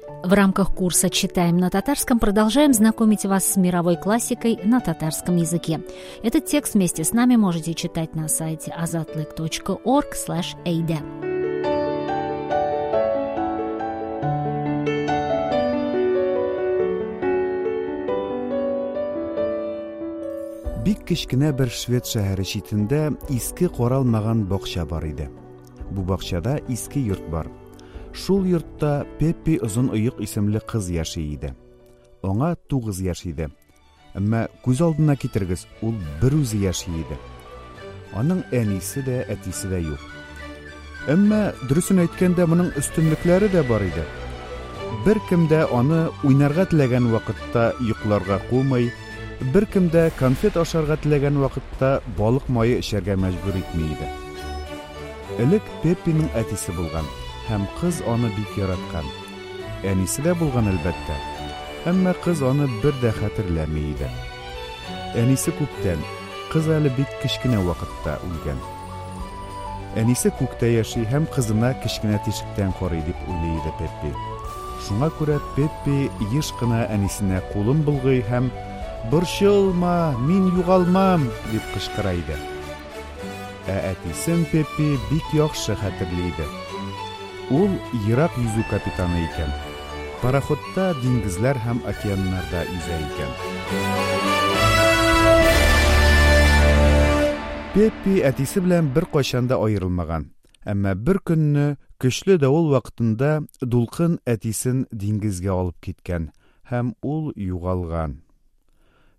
В рамках курса «Читаем на татарском» продолжаем знакомить вас с мировой классикой на татарском языке. Этот текст вместе с нами можете читать на сайте azatlyk.org/eide. Бик кечкенә бер швед шәһәре читендә иске каралмаган бакча бар иде. Бу бакчада иске йорт бар. Шул йортта Пеппи Озын Оек исемле кыз яши иде. Аңа 9 яшь иде. Әмма күз алдына китерегез, ул берүзе яши иде. Аның әнисе дә, әтисе дә юк. Әмма, дөресен әйткәндә, моның өстенлекләре дә бар иде. Беркем дә аны уйнарга теләгән вакытта йокларга кумый, беркем дә конфет ашарга теләгән вакытта балык мае эчәргә мәҗбүр итми иде. Элек Пеппиның әтисе булган, һәм кыз аны бик яраткан. Әнисе дә булган, әлбәттә. Әмма кыз аны бер дә хәтерләми иде. Әнисе күптән, кыз әле бик кечкенә вакытта үлгән. Әнисе күктә яши һәм кызына кечкенә тишектән карый, дип уйлый иде Пеппи. Шуңа күрә Пеппи еш кына әнисенә кулын болгый һәм, Борчылма, мин югалмам! дип кычкыра иде. Ә әтисен Пеппи бик яхшы хәтерли иде. Ул ерак йөзү капитаны икән. Пароходта диңгезләр һәм океаннарда йөзә икән. Пеппи әтисе белән беркайчан да аерылмаган. Әмма бер көнне көчле давыл вакытында дулкын әтисен диңгезгә алып киткән һәм ул югалган.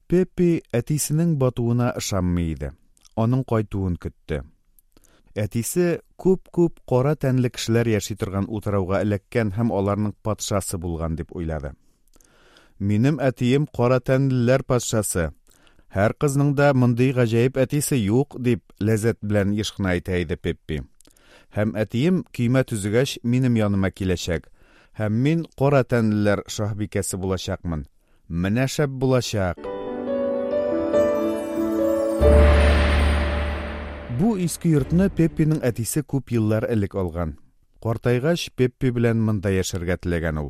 Пеппи әтисенең батуына ышанмый иде. Аның кайтуын көтте. Әтисе күп-күп кара тәнле кешеләр яши торган утрауга эләккән һәм аларның патшасы булган дип уйлады. Минем әтием кара тәнлеләр патшасы. Һәр кызның да мондый гаҗәеп әтисе юк, дип ләззәт белән еш кына әйтә иде Пеппи. Һәм әтием көймә төзегәч минем яныма киләчәк. Һәм мин кара тәнлеләр шаһбикәсе булачакмын. Менә шәп булачак! Бу иске йортны Пеппиның әтисе күп еллар элек алган. Картайгач, Пеппи белән монда яшәргә теләгән ул.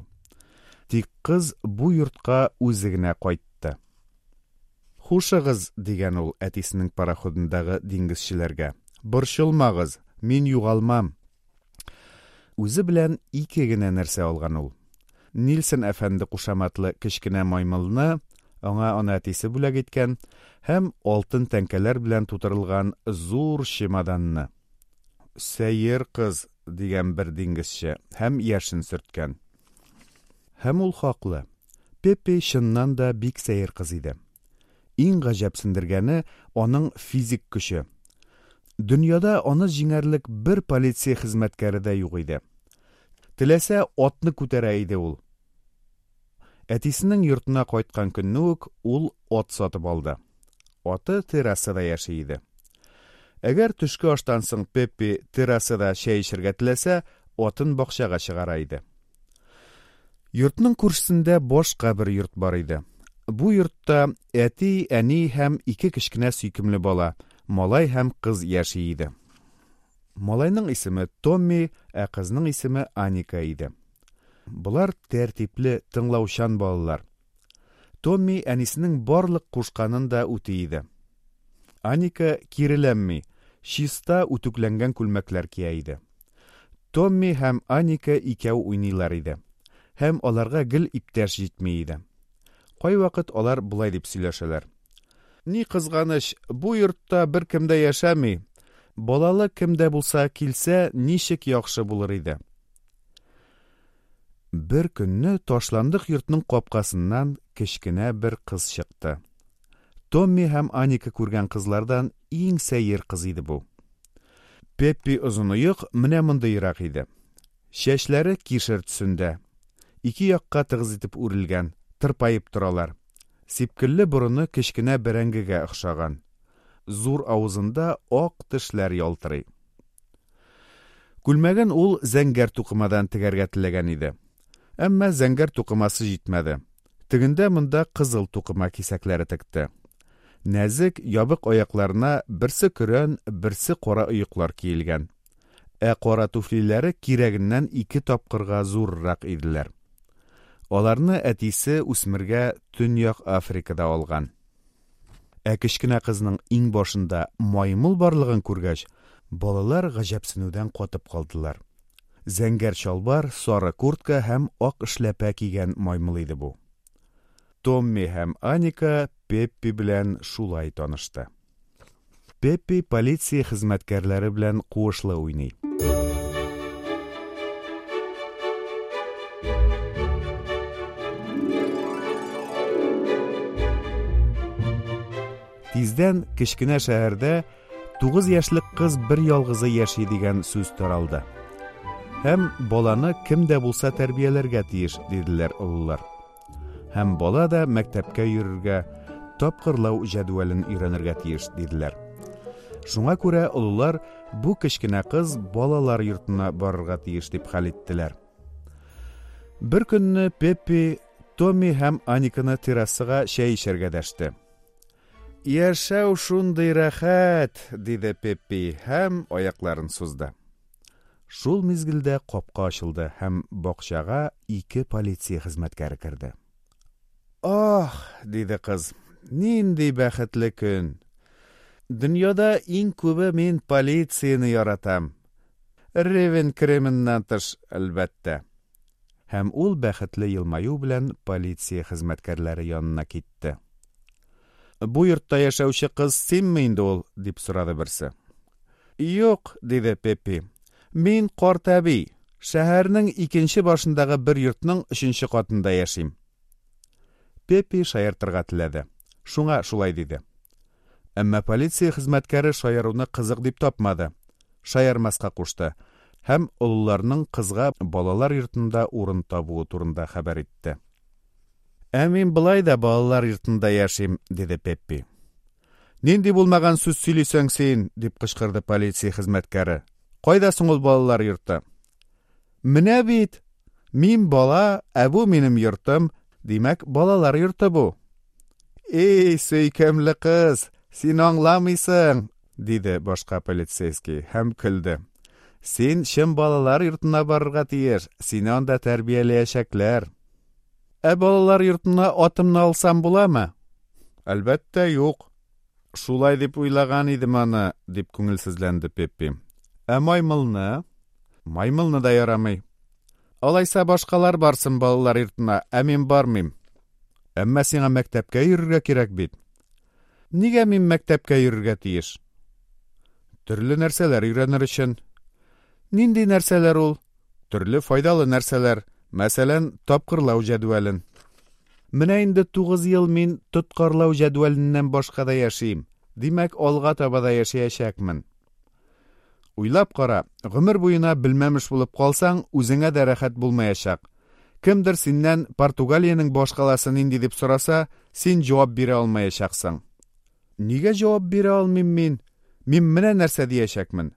Тик кыз бу йортка үзе генә кайтты. Хушыгыз, дигән ул әтисенең пароходындагы диңгезчеләргә. Борчылмагыз, мин югалмам. Үзе белән ике генә нәрсә алган ул. Нильсон әфәнде кушаматлы кечкенә маймылны, аңа аны әтисе бүләк иткән, һәм алтын тәңкәләр белән тутырылган зур чемоданны. Сәер кыз, дигән бер диңгезче һәм яшен сөрткән. Һәм ул хаклы. Пеппи чыннан да бик сәер кыз иде. Иң гаҗәпсендергәне, аның физик көче. Дөньяда аны җиңәрлек бер полиция хезмәткәре дә юк иде. Теләсә, атны күтәрә иде ул. Әтисенең йортына кайткан көнне үк ул ат сатып алды. Аты террасада яши иде. Әгәр төшке аштан соң Пеппи террасада чәй эчәргә теләсә, атын бакчага чыгара иде. Йортның күршесендә башка бер йорт бар иде. Бу йортта әти, әни һәм ике кечкенә сөйкемле бала, малай һәм кыз яши иде. Малайның исеме Томми, ә кызның исеме Аника иде. Болар тәртипле, тыңлаучан балалар. Томми әнисенең барлык кушканын да үти иде. Аника киреләнми, чиста үтүкләнгән күлмәкләр кия иде. Томми һәм Аника икәү уйныйлар иде. Һәм аларга гел иптәш җитми иде. Кайвакыт алар болай дип сөйләшәләр. Ни кызганыч, бу йортта беркем дә яшәми. Балалы кем дә булса килсә, ничек яхшы булыр иде. Бер көнне ташландык йортның капкасыннан кечкенә бер кыз чыкты. Томми һәм Аника күргән кызлардан иң сәер кыз иде бу. Пеппи Озыноек менә мондыйрак иде. Чәчләре кишер төсендә. Ике якка тыгыз итеп үрелгән, тырпаеп торалар. Сипкелле борыны кечкенә бәрәңгегә охшаган. Зур авызында ак тешләр ялтырый. Күлмәген ул зәңгәр тукымадан тегәргә теләгән иде. Әмма зәңгәр тукымасы җитмәде. Тегендә-монда кызыл тукыма кисәкләре текте. Нәзек, ябык аякларына берсе көрән, берсе кара оеклар киелгән. Ә кара туфлиләре кирәгеннән ике тапкырга зуррак иделәр. Аларны әтисе үсмергә Төньяк Африкада алган. Ә кечкенә кызның иңбашында маймыл барлыгын күргәч, балалар гаҗәпсенүдән катып калдылар. Зәңгәр чалбар, сары куртка һәм ак эшләпә кигән маймыл иде бу. Томми һәм Аника Пеппи белән шулай танышты. Пеппи полиция хезмәткәрләре белән куышлы уйный. Тиздән кечкенә шәһәрдә 9 яшьлек кыз бер ялгызы яши дигән сүз таралды. Һәм баланы кем дә булса тәрбияләргә тиеш, диделәр олылар. Һәм бала да мәктәпкә йөрергә, тапкырлау җәдвәлен өйрәнергә тиеш, диделәр. Шуңа күрә олылар бу кечкенә кыз балалар йортына барырга тиеш дип хәл иттеләр. Бер көнне Пеппи Томми һәм Аниканы террасага чәй эчәргә дәште. Яшәү шундый рәхәт, диде Пеппи һәм аякларын сузды. Шул мизгелдә капка ачылды һәм бакчага ике полиция хезмәткәре керде. Ах, диде кыз, нинди бәхетле көн! Дөньяда иң күбе мин полицияне яратам. Ревен кременнан тыш, әлбәттә. Һәм ул бәхетле елмаю белән полиция хезмәткәрләре янына китте. Бу йортта яшәүче кыз синме инде ул? дип сорады берсе. Юк, диде Пеппи. Мин карт әби. Шәһәрнең икенче башындагы бер йортның өченче катында яшим. Пеппи шаяртырга теләде. Шуңа шулай диде. Әмма полиция хезмәткәре шаяруны кызык дип тапмады. Шаярмаска кушты һәм олыларның кызга балалар йортында урын табуы турында хәбәр итте. Ә мин болай да балалар йортында яшим, диде Пеппи. Нинди булмаган сүз сөйлисең син? дип кычкырды полиция хезмәткәре. Кайда соң ул балалар йорты? Менә бит! Мин бала, ә бу минем йортым. Димәк, балалар йорты бу. Эй, сөйкемле кыз, син аңламыйсың, диде башка полицейский һәм көлде. Син чын балалар йортына барырга тиеш, сине анда тәрбияләячәкләр. Ә балалар йортына атымны алсам буламы? Әлбәттә, юк. Шулай дип уйлаган идем аны, дип күңелсезләнде Пеппи. Ә маймылны? Маймылны да ярамый. Алайса башкалар барсын балалар йортына, ә мин бармыйм. Әмма сиңа мәктәпкә йөрергә кирәк бит. Нигә мин мәктәпкә йөрергә тиеш? Төрле нәрсәләр өйрәнер өчен. Нинди нәрсәләр ул? Төрле файдалы нәрсәләр, мәсәлән, тапкырлау җәдвәлен. Менә инде 9 ел мин тоткарлау җәдвәленнән башка да яшим. Димәк, алга таба да яшәячәкмен. Уйлап кара, гомер буена белмәмеш булып калсаң, үзеңә дә рәхәт булмаячак. Кемдер синнән Португалиянең башкаласы нинди дип сораса, син җавап бирә алмаячаксың. Нигә җавап бирә алмыйм мин? Мин менә нәрсә диячәкмен.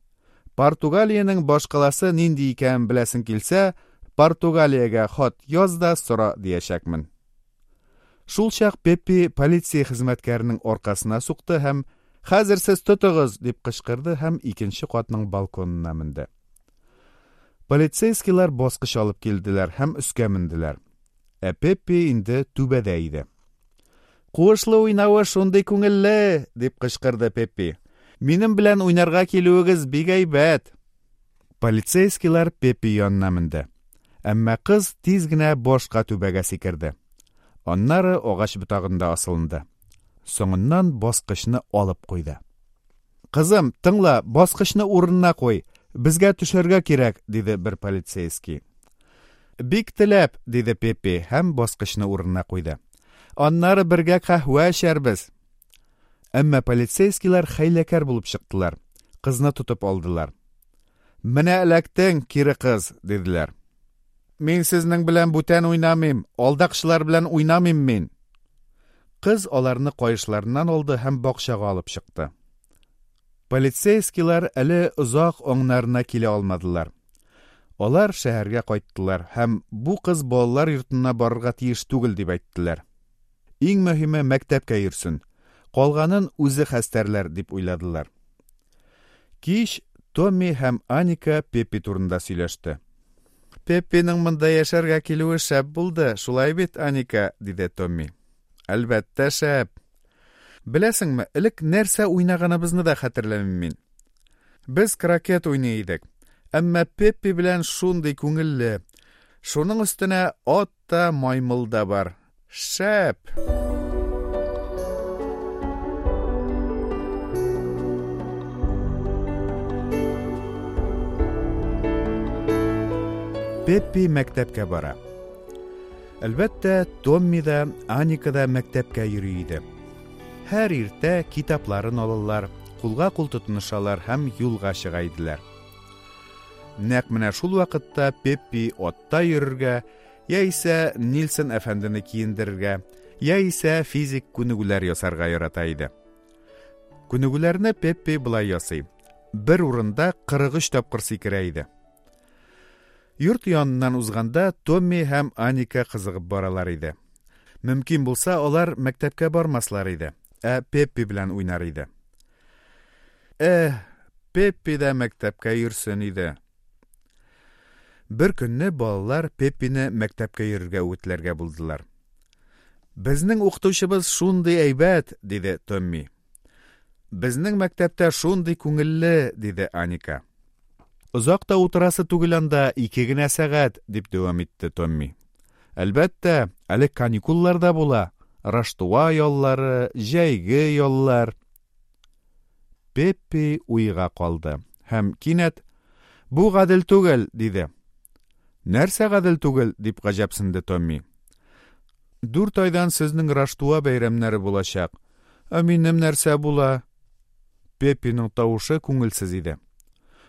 Португалиянең башкаласы нинди икәнен беләсең килсә, Португалиягә хат яз да сора диячәкмен. Шулчак Пеппи полиция хезмәткәренең аркасына сукты һәм «Хәзер сез тотыгыз!» дип кычкырды һәм икенче катның балконына менде. Полицейскийлар баскыч алып килделәр һәм өскә менделәр. Ә Пеппи инде түбәдә иде. «Куышлы уйнавы шундый күңелле!» дип кычкырды Пеппи. «Минем белән уйнарга килүегез бик әйбәт!» Полицейскийлар Пеппи янына менде. Әмма кыз тиз генә башка түбәгә сикерде. Аннары агач ботагында асылынды. Соңыннан баскычны алып куйды. Кызым, тыңла, баскычны урынына куй. Безгә төшәргә кирәк, диде бер полицейский. Бик теләп, диде Пеппи һәм баскычны урынына куйды. Аннары бергә каһвә эчәрбез. Әмма полицейскийлар хәйләкәр булып чыктылар. Кызны тотып алдылар. Менә эләктең, кире кыз, диделәр. Мин сезнең белән бүтән уйнамыйм, алдакчылар белән уйнамыйм мин. Кыз аларны каешларыннан алды һәм бакчага алып чыкты. Полицейскийлар әле озак аңнарына килә алмадылар. Алар шәһәргә кайттылар һәм бу кыз балалар йортына барырга тиеш түгел дип әйттеләр. Иң мөһиме мәктәпкә йөрсен. Калганын үзе хәстәрләр дип уйладылар. Кич Томми һәм Аника Пеппи турында сөйләште. Пеппиның монда яшәргә килүе шәп булды, шулай бит, Аника? диде Томми. Әлбәттә, шәп. Беләсеңме, элек нәрсә уйнаганыбызны да хәтерләмим мин. Без крокет уйный идек. Әмма Пеппи белән шундый күңелле. Шуның өстенә ат та, маймыл да бар. Шәп! Пеппи мәктәпкә бара. Әлбәттә, Томми да, Аника да мәктәпкә йөри иде. Һәр иртә китапларын алалар, кулга-кул тотынышалар һәм юлга чыга иделәр. Нәкъ менә шул вакытта Пеппи атта йөрергә, яисә Нильсон әфәндене киендерергә, яисә физик күнегүләр ясарга ярата иде. Күнегүләрне Пеппи болай ясый. Бер урында 43 тапкыр сикерә иде. Йорт яныннан узганда Томми һәм Аника кызыгып баралар иде. Мөмкин булса, алар мәктәпкә бармаслар иде, ә Пеппи белән уйнар иде. Эх, Пеппи дә мәктәпкә йөрсен иде. Бер көнне балалар Пеппины мәктәпкә йөрергә үгетләргә булдылар. Безнең укытучыбыз шундый әйбәт, диде Томми. Безнең мәктәптә шундый күңелле, диде Аника. Озак та утырасы түгел анда, ике генә сәгать, дип дәвам итте Томми. Әлбәттә, әле каникуллар да була. Раштуа яллары, җәйге яллар. Пеппи уйга калды һәм кинәт, Бу гадел түгел, диде. Нәрсә гадел түгел? дип гаҗәпсенде Томми. Дүрт айдан сезнең Раштуа бәйрәмнәре булачак. Ә минем нәрсә була? Пеппиның тавышы күңелсез иде.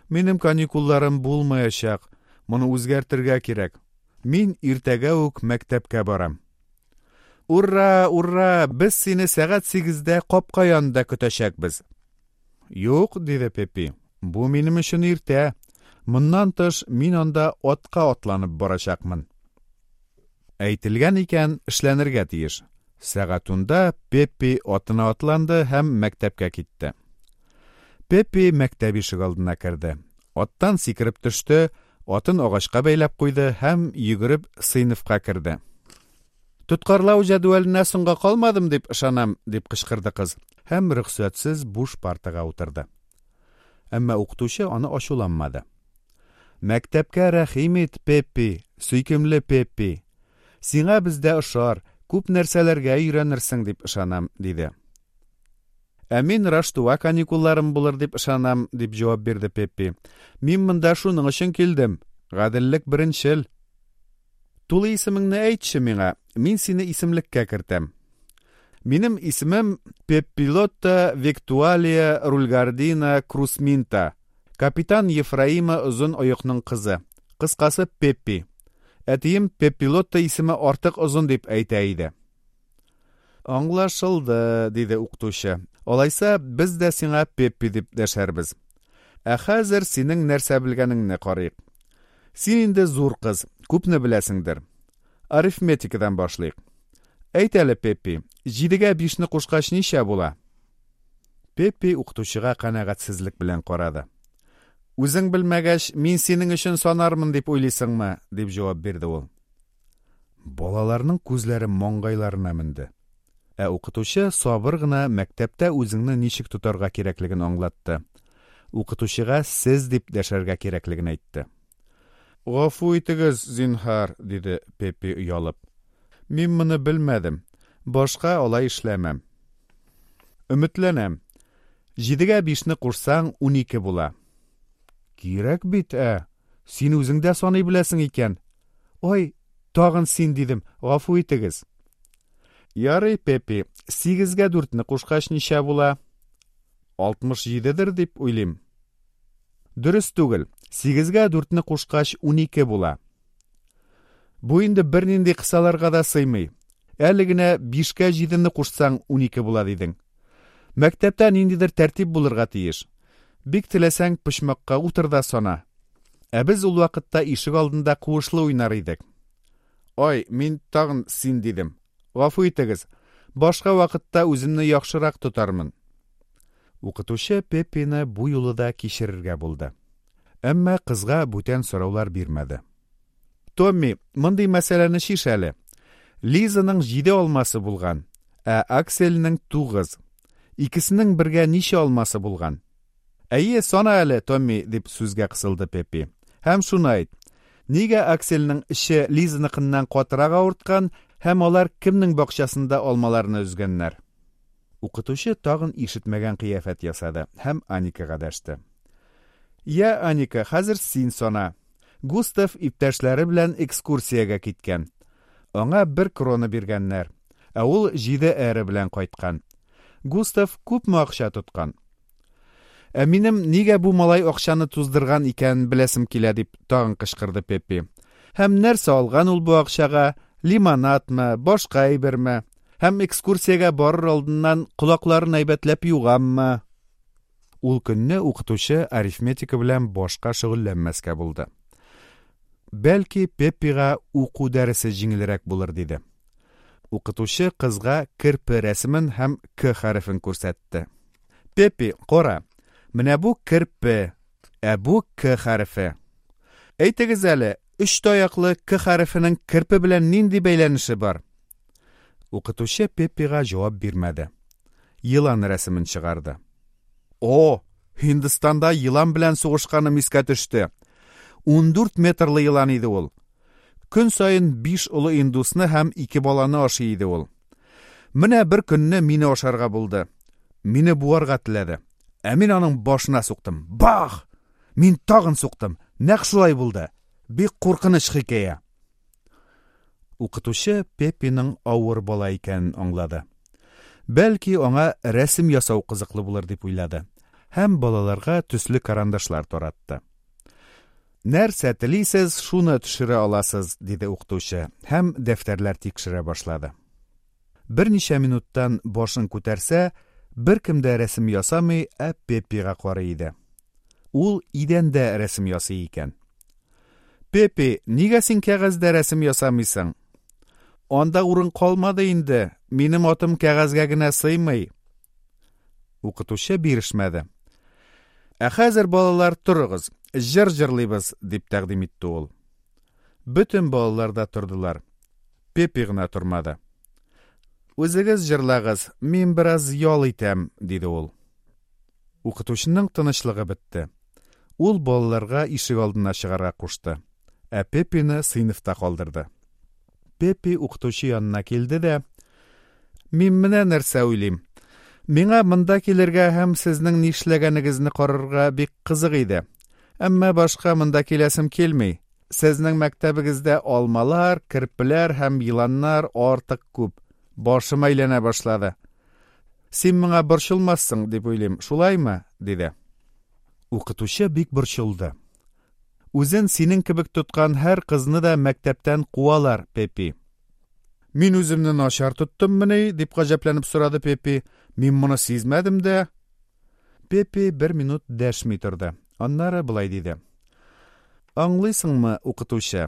Минем каникулларым булмаячак. Моны үзгәртергә кирәк. Мин иртәгә үк мәктәпкә барам. Ура, ура! Без сине сәгать сигездә капка янында көтәчәкбез. Юк, диде Пеппи. Бу минем өчен иртә. Моннан тыш, мин анда атка атланып барачакмын. Әйтелгән икән, эшләнергә тиеш. Сәгать унда Пеппи атына атланды һәм мәктәпкә китте. Пеппи мәктәп ишегалдына керде. Аттан сикереп төште, атын агачка бәйләп куйды һәм йөгереп сыйныфка керде. Тоткарлау җәдвәленә соңга калмадым дип ышанам, дип кычкырды кыз һәм рөхсәтсез буш партага утырды. Әмма укытучы аны ачуланмады. Мәктәпкә рәхим ит, Пеппи, сөйкемле Пеппи. Сиңа бездә ошар, күп нәрсәләргә өйрәнерсең дип ышанам, диде. Ә мин Раштуа каникулларым булыр дип ышанам, дип җавап бирде Пеппи. Мин монда шуның өчен килдем. Гаделлек беренчел. Тулы исемеңне әйтче миңа, мин сине исемлеккә кертәм. Минем исемем Пеппилотта Виктуалия Рульгардина Крусминта. Капитан Ефраима Озын Оекның кызы. Кыскасы, Пеппи. Әтием Пеппилотта исеме артык озын дип әйтә иде. Аңлашылды, диде укытучы. Алайса, без дә сиңа Пеппи дип дәшәрбез. Ә хәзер синең нәрсә белгәнеңне карыйк. Син инде зур кыз, күпне беләсеңдер. Арифметикадан башлыйк. Әйт әле, Пеппи, җидегә бишне кушкач ничә була? Пеппи укытучыга канәгатьсезлек белән карады. Үзең белмәгәч, мин синең өчен санармын дип уйлыйсыңмы? дип җавап бирде ул. Балаларның күзләре маңгайларына менде. Ә укытучы сабыр гына мәктәптә үзеңне ничек тотарга кирәклеген аңлатты. Укытучыга сез дип дәшәргә кирәклеген әйтте. Гафу итегез, зинһар, диде Пеппи оялып. Мин моны белмәдем. Башка алай эшләмәм. Өметләнәм. Җидегә бишне кушсаң, 12 була. Кирәк бит, ә! Син үзең дә саный беләсең икән. Ой, тагын син дидем, гафу итегез. Ярый, Пеппи, сигезгә дүртне кушкач ничә була? 67дер дип уйлыйм. Дөрес түгел. Сигезгә дүртне кушкач, 12 була. Бу инде бернинди кысаларга да сыймый. Әле генә бишкә җидене кушсаң, 12 була дидең. Мәктәптә ниндидер тәртип булырга тиеш. Бик теләсәң, почмакка утыр да сана. Ә без ул вакытта ишек алдында куышлы уйнар идек. Ай, мин тагын син дидем. Гафу итегез. Башка вакытта үземне яхшырак тотармын. Укытучы Пеппины бу юлы да кичерергә булды. Әмма кызга бүтән сораулар бирмәде. Томми, мондый мәсьәләне чиш әле. Лизаның җиде алмасы булган, ә Аксельнең тугыз. Икесенең бергә ничә алмасы булган? Әйе, сана әле, Томми, дип сүзгә кысылды Пеппи. Һәм шуны әйт. Нигә Аксельнең эче Лизаныкыннан катырак авырткан һәм алар кемнең бакчасында алмаларны өзгәннәр? Укытучы тагын ишетмәгән кыяфәт ясады һәм Аникага дәште. Я, Аника, хәзер син сана. Густав иптәшләре белән экскурсиягә киткән. Аңа бер крона биргәннәр, ә ул җиде эре белән кайткан. Густав күпме акча тоткан? Ә минем нигә бу малай акчаны туздырган икәнен беләсем килә, дип тагын кычкырды Пеппи. Һәм нәрсә алган ул бу акчага? Лимонадмы, башка әйберме? Һәм экскурсиягә барыр алдыннан колакларын әйбәтләп юганмы? Ул көнне укытучы арифметика белән башка шөгыльләнмәскә булды. Бәлки, Пеппига уку дәресе җиңелрәк булыр, диде. Укытучы кызга керпе рәсемен һәм К хәрефен күрсәтте. Пеппи, кара, менә бу керпе, ә бу К хәрефе. Әйтегез әле, өч таяклы К хәрефенең керпе белән нинди бәйләнеше бар? Укытучы Пеппига җавап бирмәде. Елан рәсемен чыгарды. О, Һиндстанда елан белән сугышканым искә төште. 14 метрлы елан иде ул. Көн саен биш олы индусны һәм ике баланы ашый иде ул. Менә бер көнне мине ашарга булды. Мине буарга теләде. Ә мин аның башына суктым. Бах! Мин тагын суктым. Нәкъ шулай булды. Бик куркыныч хикәя. Укытучы Пеппиның авыр бала икәнен аңлады. Бәлки, аңа рәсем ясау кызыклы булыр дип уйлады һәм балаларга төсле карандашлар таратты. Нәрсә телисез, шуны төшерә аласыз, диде укытучы һәм дәфтәрләр тикшерә башлады. Берничә минуттан башын күтәрсә, беркем дә рәсем ясамый, ә Пеппига карый иде. Ул идәндә рәсем ясый икән. Пеппи, нигә син кәгазьдә рәсем ясамыйсың? Анда урын калмады инде, минем атым кәгазьгә генә сыймый. Укытучы бирешмәде. Ә хәзер, балалар, торыгыз, җыр җырлыйбыз, дип тәкъдим итте ул. Бөтен балалар да тордылар. Пеппи гына тормады. Үзегез җырлагыз, мин бераз ял итәм, диде ул. Укытучының тынычлыгы бетте. Ул балаларга ишек алдына чыгарга кушты, ә Пеппины сыйныфта калдырды. Пеппи укытучы янына килде дә, Мин менә нәрсә уйлыйм. Миңа монда килергә һәм сезнең нишләгәнегезне карарга бик кызык иде. Әмма башка монда киләсем килми. Сезнең мәктәбегездә алмалар, керпеләр һәм еланнар артык күп. Башым әйләнә башлады. Син моңа борчылмассың, дип уйлыйм, шулаймы? диде. Укытучы бик борчылды. Үзен синең кебек тоткан һәр кызны да мәктәптән куалар, Пеппи. Мин үземне начар тоттыммыни? дип гаҗәпләнеп сорады Пеппи. Мин моны сизмәдем дә. Пеппи бер минут дәшми торды. Аннары болай диде. Аңлыйсыңмы, укытучы?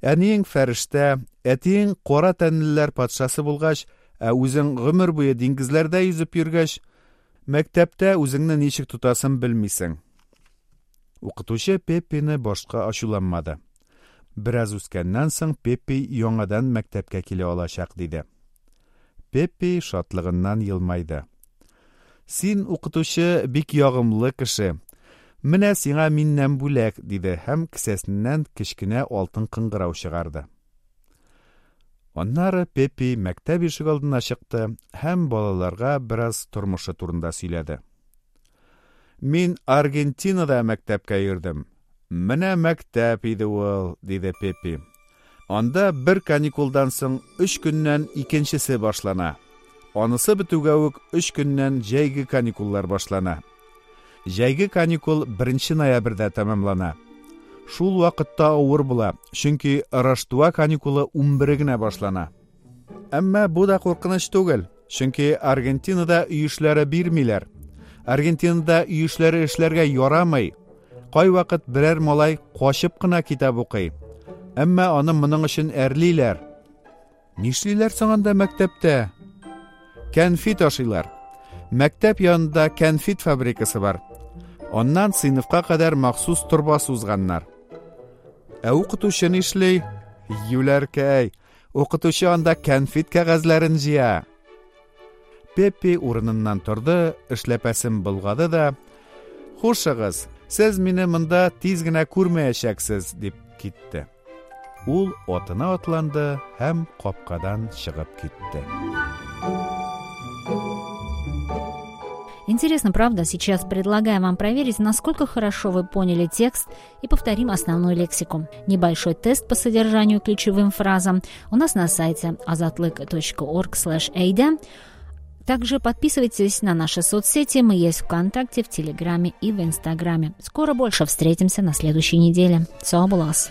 Әниең фәрештә, әтиең кара тәнлеләр патшасы булгач, ә үзең гомер буе диңгезләрдә йөзеп йөргәч, мәктәптә үзеңне ничек тотасын белмисең. Укытучы Пеппины башка ачуланмады. Бераз үскәннән соң Пеппи яңадан мәктәпкә килә алачак, диде. Пеппи шатлыгыннан елмайды. Син, укытучы, бик ягымлы кеше. Менә сиңа миннән бүләк, диде һәм кесәсеннән кечкенә алтын кыңгырау чыгарды. Аннары Пеппи мәктәп ишегалдына чыкты һәм балаларга бераз тормышы турында сөйләде. Мин Аргентинада мәктәпкә йөрдем. Менә мәктәп иде ул, диде Пеппи. Анда бер каникулдан соң өч көннән икенчесе башлана. Анысы бетүгә үк өч көннән җәйге каникуллар башлана. Җәйге каникул беренче ноябрьдә тәмамлана. Шул вакытта авыр була, чөнки Раштуа каникулы унбере генә башлана. Әмма бу да куркыныч түгел, чөнки Аргентинада өй эшләре бирмиләр. Аргентинада өй эшләре эшләргә ярамый. Кайвакыт берәр малай качып кына китап укый. Әмма аны моның өчен әрлиләр. Нишлиләр соң анда мәктәптә? Кәнфит ашыйлар. Мәктәп янында кәнфит фабрикасы бар. Аннан сыйныфка кадәр махсус торба сузганнар. Ә укытучы нишли? Юләркәй, укытучы анда кәнфит кәгазьләрен җыя. Пеппи урыныннан торды, эшләпәсен болгады да: "Хушыгыз, сез мине монда тиз генә күрмәячәксез", дип китте. Ул атына атланды һәм капкадан чыгып китте. Интересно, правда? Сейчас предлагаем вам проверить, насколько хорошо вы поняли текст, и повторим основную лексику. Небольшой тест по содержанию ключевым фразам у нас на сайте azatlyk.org/eyde. Также подписывайтесь на наши соцсети. Мы есть ВКонтакте, в Телеграме и в Инстаграме. Скоро больше, встретимся на следующей неделе. Сау булыгыз.